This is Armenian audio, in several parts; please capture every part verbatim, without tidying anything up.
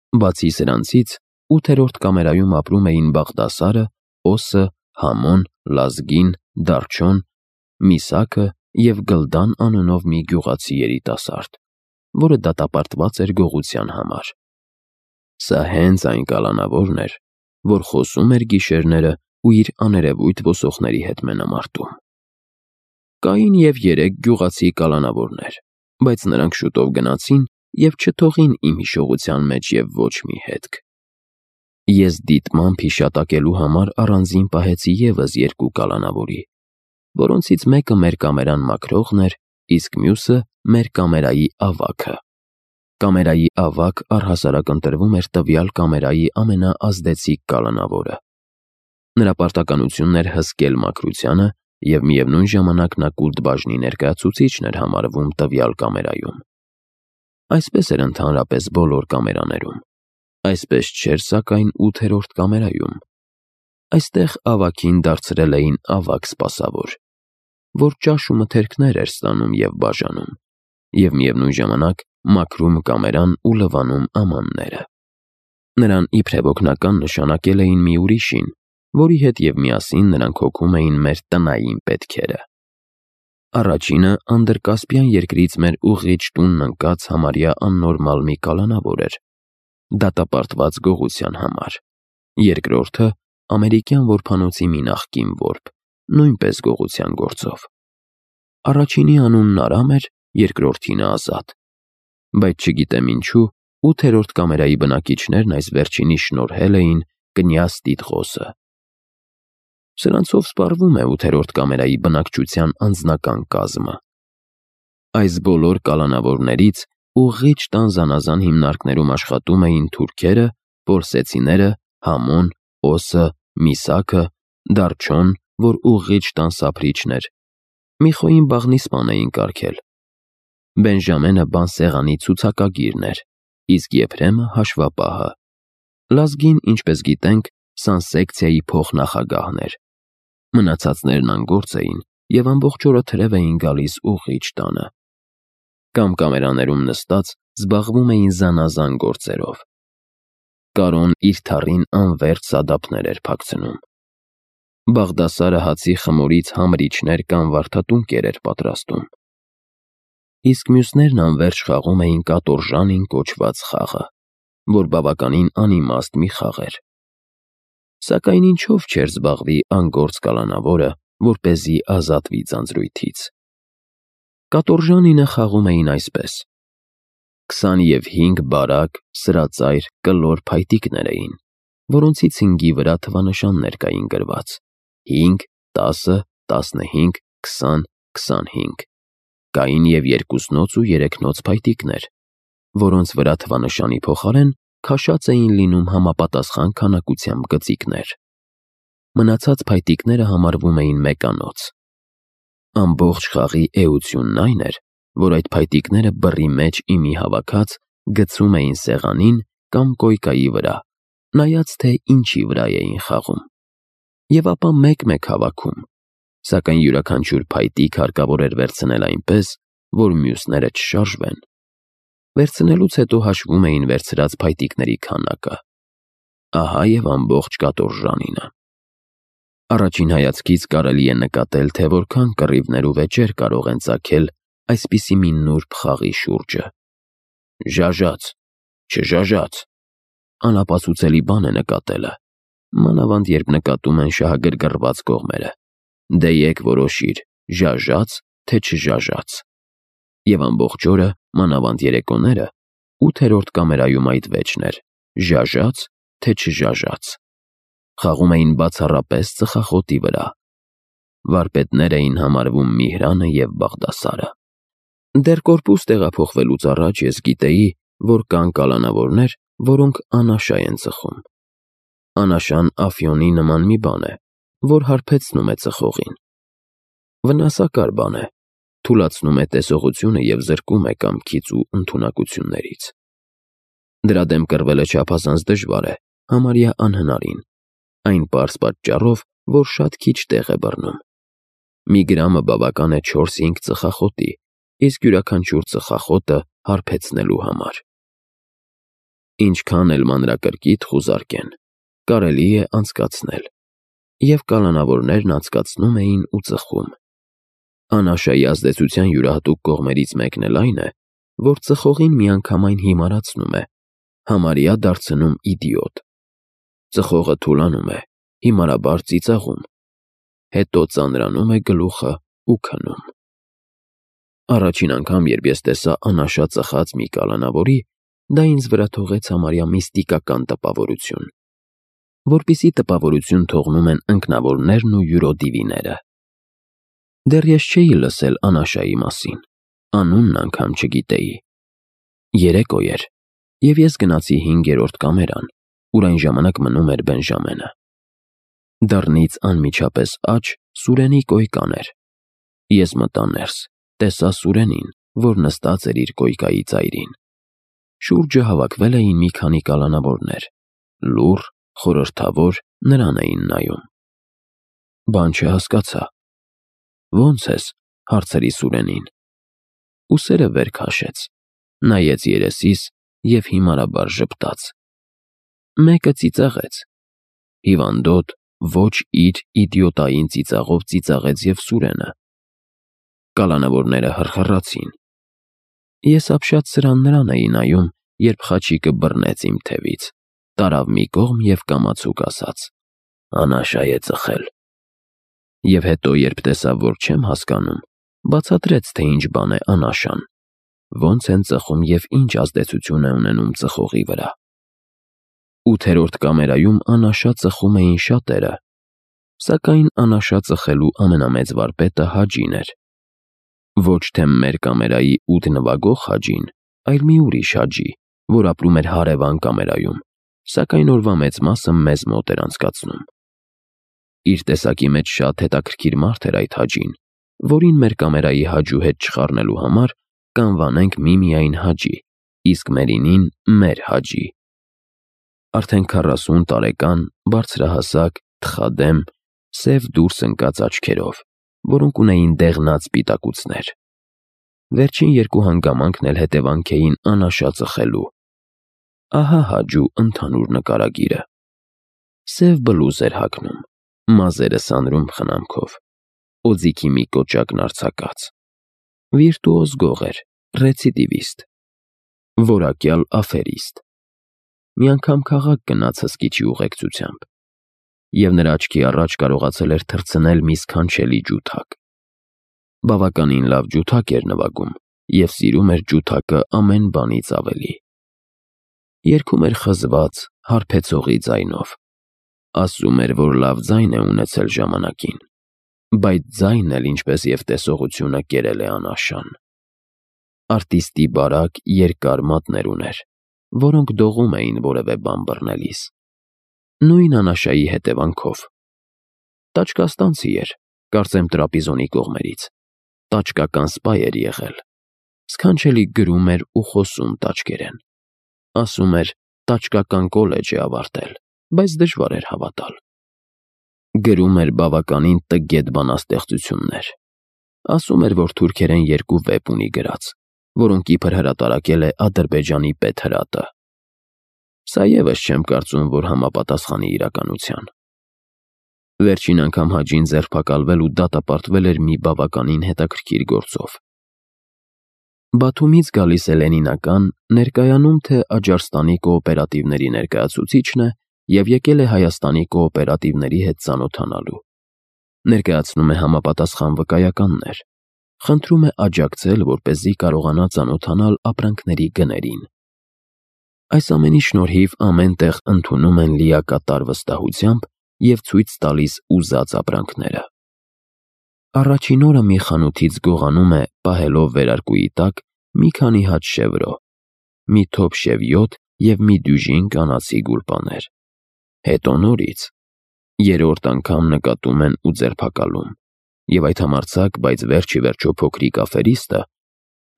Բացի սրանցից, ութերորդ կամերայում ապրում էին Բաղդասարը, Օսը, Համոն, Լազգին, Դարչոն, Միսաքը և Գլդան անունով մի գյուղացի երիտասարդ, որը դատապարտված էր գողության համար։ Սա հենց այն կալանավորն էր, որ խոսում էր գիշերները ու իր աներևույթ ոսողների հետ մենամարտում։ Կային և երեք գյուղացի կալանավորներ, բայց նրանք շուտով գնացին և չթողին իմ հիշողության մեջ և ոչ մի հետք։ Ես դիտմամբ հիշատակելու համար առանձին պահեցի ևս երկու կալանավորի, որոնցից մեկը մեր կամերան մաքրողն էր, իսկ մյուսը մեր կամերայի ավագը։ Կամերայի ավագ առհասարակ ընտրվում էր տվյալ կամերայի ամենաազդեցիկ կալանավորը։ Նրա պարտականությունն էր հսկել մաքրությանը և միևնույն ժամանակ նա կուլտ բաժնի ներկայացուցիչն էր համարվում տվյալ կամերայում։ Այսպես էր ընդհանրապես բոլոր կամերաներում, այսպես չէր սակայն ութերորդ կամերայում։ Այստեղ ավագին դարձրել էին ավագ սպասավոր, որ ճաշ ու մթերքներ էր ստանում և բաժանում, և միևնույն ժամանակ մաքրում կամերան ու լվանում ամանները։ Նրան իբրև օգնական նշանակել էին մի ուրիշին, որի հետ և միասին նրանք հոգում էին մեր տնային պետքերը։ Առաջինը Անդրկասպյան երկրից մեր ուղղիչ տունն ընկած համարյա աննորմալ մի կալանավոր էր, դատապարտված գողության համար։ Երկրորդը ամերիկյան որբանոցի մի նախկին որբ, նույնպես գողության գործով։ Առաջինի անունն Արամ էր, երկրորդինը Ազատ։ Բայց չգիտեմ ինչու, ութերորդ կամերայի բնակիչներն այս վերջինի շնորհել էին կնյազ Տիտղոսը։ Սրանցով սպառվում է ութերորդ կամերայի բնակչության անձնական կազմը։ Այս բոլոր կալանավորներից ուղղիչ տան զանազան հիմնարկներում աշխատում էին թուրքերը, պորսեցիները, Համոն, Օսը, Միսաքը, Դարչոն, որ ուղղիչ տան սափրիչն էր, Միխոյին բաղնիսպան էին կարգել, Բենժամենը բանսեղանի ցուցակագիրն էր, իսկ Եփրեմը հաշվապահը, Լազգին, ինչպես գիտենք, սանսեկցիայի փոխնախագահն էր։ Մնացածներն անգործ էին և ամբողջ օրը թրև էին գալիս ուղղիչ տանը։ Կամ կամերաներում նստած զբաղվում էին զանազան գործերով։ Կարոն իր թառին անվերջ սադափներ էր փակցնում։ Բաղդասարը հացի խմորից համրիչներ կամ վարդատունկեր էր պատրաստում։ Իսկ մյուսներն անվերջ խաղում էին կատորժանին կոչված խաղը, որ բավականին անիմաստ մի խաղ էր։ Սակայն ինչով չէր զբաղվի անգործ կալանավորը, որպեսզի ազատվի ձանձրույթից։ Կատորժանինը խաղում էին այսպես. քսանհինգ բարակ, սրածայր, կլոր փայտիկներ էին, որոնցից հինգի վրա թվանշաններ կային գրված՝ հինգ, տասը, տասնհինգ, քսան, քսանհինգ։ Կային և երկուսնոց ու երեքնոց փայտիկներ, որոնց վրա թվանշանի փոխարեն քաշած էին լինում համապատասխան քանակությամբ գծիկներ։ Մնացած փայտիկները համարվում էին մեկանոց։ Ամբողջ խաղի էությունն այն էր, որ այդ փայտիկները բռի մեջ իմի հավաքած գցում էին սեղանին կամ կոյկայի վրա, նայած թե ինչի վրա էին խաղում, և ապա մեկ-մեկ հավաքում, սակայն յուրաքանչյուր փայտիկ հարկավոր էր վերցնել այնպես, որ մյուսները չշարժվեն։ Վերցնելուց հետո հաշվում էին վերցրած փայտիկների քանակը։ Ահա և ամբողջ կատորժանինը։ Առաջին հայացքից կարելի է նկատել, թե որքան կռիվներ ու վեճեր կարող են ծագել այսպիսի մի նուրբ խաղի շուրջը։ «Ժաժաց, չժաժաց» անապացուցելի բան է նկատելը, մանավանդ երբ նկատում են շահագրգռված կողմերը։ Դե եկ որոշիր՝ ժաժա՞ց, թե չժաժաց։ Եվ ամբողջ օրը, մանավանդ երեկոները, ութերորդ կամերայում այդ վեճն էր՝ ժաժա՞ց, թե չժաժաց։ Խաղում էին բացառապես ծխախոտի վրա։ Վարպետներ էին համարվում Միհրանը և Բաղդասարը։ Դեռ կորպուս տեղափոխվելուց առաջ ես գիտեի, որ կան կալանավորներ, որոնք անաշա են ծխում։ Անաշան Աֆյոնի նման մի բան է, որ հարբեցնում է ծխողին։ Վնասակար բան է, թուլացնում է տեսողությունը և զրկում է կամքից ու ընդունակություններից։ Դրա դեմ կռվելը չափազանց դժվար է, համարյա անհնարին, այն պարզ պատճառով, որ շատ քիչ տեղ է բռնում։ Մի գրամը բավական է չորս-հինգ ծխախոտի, իսկ յուրաքանչյուր ծխախոտը հարբեցնելու համար։ Ինչքան էլ մանրակրկիտ խուզարկեն, կարելի է անցկացնել, և կալանավորներն անցկացնում էին ու ծխում։ Անաշայի ազդեցության յուրահատուկ կողմերից մեկն էլ այն է, որ ծխողին միանգամայն հիմարացնում է, համարյա դարձնում իդիոտ։ Ծխողը թուլանում է, հիմարաբար ծիծաղում, հետո ծանրանում է գլուխը ու քնում։ Առաջին անգամ, երբ ես տեսա անաշա ծխած մի կալանավորի, դա ինձ վրա թողեց համարյա միստիկական տպավորություն, որպիսի տպավորություն թողնում են ընկնավորներն ու յուրոդիվիները։ Դեռ ես չէի լսել անաշայի մասին, անունն անգամ չգիտեի։ Երեկո էր, և ես գնացի հինգերորդ կամերան, ուր այն ժամանակ մնում էր Բենժամենը։ Դռնից անմիջապես աջ Սուրենի կոյկան էր։ Ես մտա ներս, տեսա Սուրենին, որ նստած էր իր կոյկայի ծայրին։ Շուրջը հավաքվել էին մի քանի կալանավորներ, լուռ, խորհրդավոր, նրան էին նայում։ Բան չհասկացա։ Ո՞նց ես, հարցրի Սուրենին։ Ուսերը վեր քաշեց, նայեց երեսիս և հիմարաբար ժպտաց։ Մեկը ծիծաղեց։ Հիվանդոտ, ոչ իր իդիոտային ծիծաղով ծիծաղեց և Սուրենը։ Կալանավորները հռխռացին։ Ես ապշած սրան նրան էի նայում, երբ խաչիկը բռնեց իմ թևից, տարավ մի կողմ և կամացուկ ասաց. «Անաշա է ծխել»։ Եվ հետո, երբ տեսավ, որ չեմ հասկանում, բացատրեց, թե ինչ բան է անաշան, ոնց են ծխում և ինչ ազդեցություն է ունենում ծխողի վրա։ Ութերորդ կամերայում անաշա ծխում էին շատերը, սակայն անաշա ծխելու ամենամեծ վարպետը Հաջին էր։ Ոչ թե մեր կամերայի ութ նվագող Հաջին, այլ մի ուրիշ Հաջի, որ ապրում էր հարևան կամերայում, սակայն օրվա մեծ մասը մեզ մոտ էր անցկացնում։ Իր տեսակի մեջ շատ հետաքրքիր մարդ էր այդ Հաջին, որին մեր կամերայի Հաջու հետ չխառնելու համար կանվանենք միմիայն Հաջի, իսկ Մերինին մեր Հաջի։ Արդեն քառասուն տարեկան, բարձրահասակ, թխադեմ, սև դուրս ընկած աչքերով, որոնք ունեին դեղնած սպիտակուցներ։ Վերջին երկու հանգամանքն էլ հետևանք էին անաշա ծխելու։ Ահա Հաջու ընդհանուր նկարագիրը։ Սև բլուզ էր հագնում, մազերը սանրում խնամքով, օձիքի մի կոճակն արձակած։ Վիրտուոզ գող էր, ռեցիդիվիստ, որակյալ աֆերիստ։ Մի անգամ քաղաք գնաց հսկիչի ուղեկցությամբ, և նրա աչքի առաջ կարողացել էր թռցնել մի սքանչելի ջութակ։ Բավականին լավ ջութակ էր նվագում և սիրում էր ջութակը ամեն բանից ավելի։ Երգում էր խզված, հարբեցողի ձայնով։ Ասում էր, որ լավ ձայն է ունեցել ժամանակին, բայց ձայնն էլ, ինչպես և տեսողությունը, կերել է անաշան։ Արտիստի բարակ, երկար մատներ ուներ, որոնք դողում էին որևէ բան բռնելիս։ Նույն անաշայի հետևանքով։ Տաճկաստանցի էր, կարծեմ Տրապիզոնի կողմերից, տաճկական սպա էր եղել։ Սքանչելի գրում էր ու խոսում տաճկերեն։ Ասում էր տաճկական կոլեջ է ավարտել, բայց դժվար էր հավատալ։ Գրում էր բավականին տգետ բանաստեղծություններ։ Ասում էր, որ թուրքերեն երկու վեպ ունի գրած, որոնք իբր հրատարակել է Ադրբեջանի պետհրատը։ Սա ևս չեմ կարծում, որ համապատասխանի իրականության։ Վերջին անգամ Հաջին ձերբակալվել ու դատապարտվել էր մի բավականին հետաքրքիր գործով։ Բաթումից գալիս է Լենինական, ներկայանում թե Աջարստանի կոոպերատիվների ներկայացուցիչն է և եկել է Հայաստանի կոոպերատիվների հետ ծանոթանալու։ Ներկայացնում է համապատասխան վկայականներ։ Խնդրում է աջակցել, որպեսզի կարողանա ծանոթանալ ապրանքների գներին։ Այս ամենի շնորհիվ ամեն տեղ ընդունում են լիակատար վստահությամբ և ցույց տալիս ուզած ապրանքները։ Առաջին օրը մի խանութից գողանում է, պահելով վերարկուի տակ, մի քանի հատ շևրո, մի թոփ շևյոթ և մի դյուժին կանացի գուլպաներ։ Հետո նորից։ Երրորդ անգամ նկատում են ու ձերբակալում, և այդ համարձակ, բայց վերջ ի վերջո փոքրիկ աֆերիստը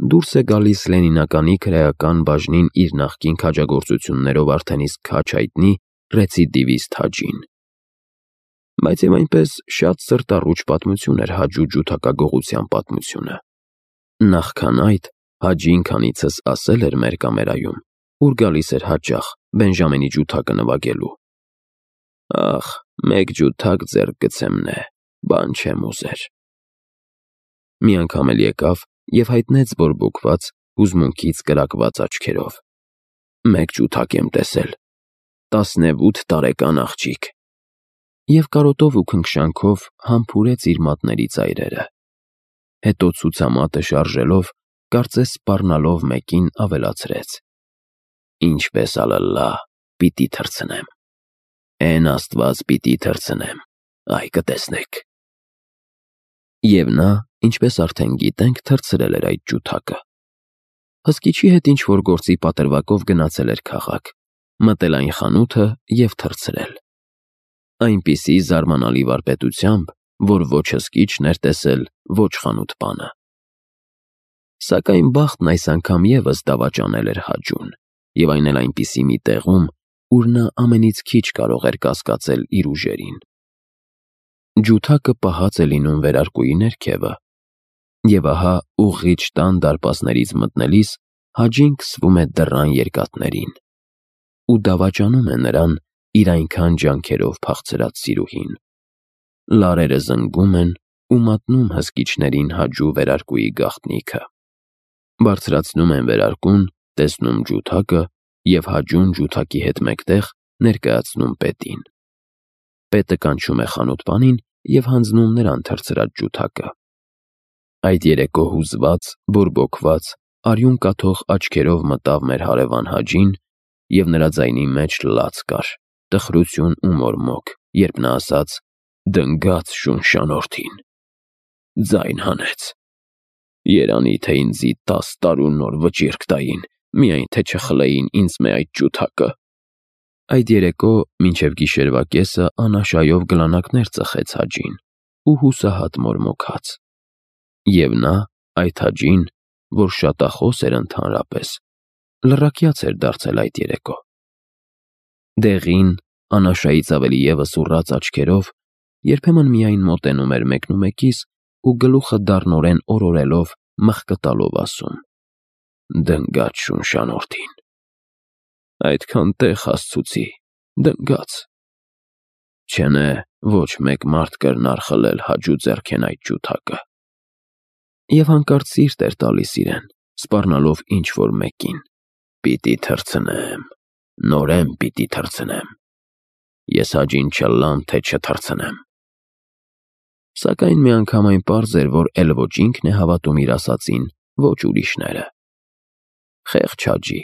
դուրս է գալիս Լենինականի քրեական բաժնին իր նախկին քաջագործություններով արդեն իսկ քաջ հայտնի ռեցիդիվիստ Հաջին։ Բայց և այնպես շատ սրտառուչ պատմություն էր Հաջու ջութակագողության պատմությունը։ Նախքան այդ Հաջին քանիցս ասել էր մեր կամերայում, ուր գալիս էր հաճախ Բենժամինի ջութակը նվագելու։ Ախ, մեկ ջութակ ձեռք գցեմ նե, բան չեմ ուզեր։ Մի անգամ էլ եկավ և հայտնեց բորբոքված, հուզմունքից կրակված աչքերով. «Մեկ ջութակ եմ տեսել, տասնևութ տարեկան աղջիկ», և կարոտով ու քնքշանքով համբուրեց իր մատների ծայրերը։ Հետո ցուցամատը շարժելով, կարծես սպառնալով մեկին, ավելացրեց. «Ինչպես ալլա, պիտի թռցնեմ, էն Աստված պիտի թռցնեմ, այ կտեսնեք»։ Եվ նա, ինչպես արդեն գիտենք, թռցրել էր այդ ջութակը։ Հսկիչի հետ ինչ-որ գործի պատրվակով գնացել էր քաղաք, մտել այն խանութը և թռցրել։ Այնպիսի զարմանալի վարպետությամբ, որ ոչ հսկիչն էր տեսել, ոչ խանութպանը։ Սակայն բախտն այս անգամ ևս դավաճանել էր Հաջուն, և այն էլ այնպիսի մի տեղում, ուր նա ամենից քիչ կարող էր կասկածել իր ուժերին։ Ջութակը պահած է լինում վերարկուի ներքևը, և ահա ուղղիչ տան դարպասներից մտնելիս Հաջին քսվում է դռան երկաթներին ու դավաճանում է նրան իր այնքան ջանքերով փախցրած սիրուհին։ Լարերը զնգում են ու մատնում հսկիչներին Հաջու վերարկուի գաղտնիքը։ Բարձրացնում են վերարկուն, տեսնում ջութակը և Հաջուն ջութակի հետ մեկտեղ ներկայացնում պետին։ Պետը կանչում է խանութպանին և հանձնում նրան թռցրած ջութակը։ Այդ երեկո հուզված, բորբոքված, արյուն կաթող աչքերով մտավ մեր հարևան Հաջին, և նրա ձայնի մեջ լաց կար, տխրություն ու մորմոք, երբ նա ասաց. «Դնգաց շունշանորդին, ձայն հանեց, երանի թե ինձի տաս տարու նոր վճիռք տային, միայն թե չխլեին ինձ մե այդ ջութակը»։ Այդ երեկո մինչև գիշերվա կեսը անաշայով գլանակներ ծխեց Հաջին ու հուսահատ մորմոքաց։ Եվ նա, այդ Հաջին, որ շատախոս էր ընդհանրապես, լռակյաց էր դարձել այդ երեկո։ Դեղին, անաշայից ավելի ևս ուռած աչքերով երբեմն միայն մոտենում էր մեկնումեկիս ու գլուխը դառնորեն օրորելով, մխկտալով ասում. «Դնգաց շունշանորդին, այդքան տեղ հասցուցի, դնգաց։ Չնե ոչ մեկ մարդ կրնար խլել Հաջու ձեռքեն այդ ջութակը»։ Եվ հանկարծ սիրտ էր տալիս իրեն, սպառնալով ինչ-որ մեկին. «Պիտի թռցնեմ, նորեն պիտի թռցնեմ, ես Հաջին չըլլամ, թե չթռցնեմ»։ Սակայն մի անգամ այն պարզ էր, որ էլ ոչ ինքն է հավատում իր ասածին, ոչ ուրիշները։ Խեղճ Հաջի,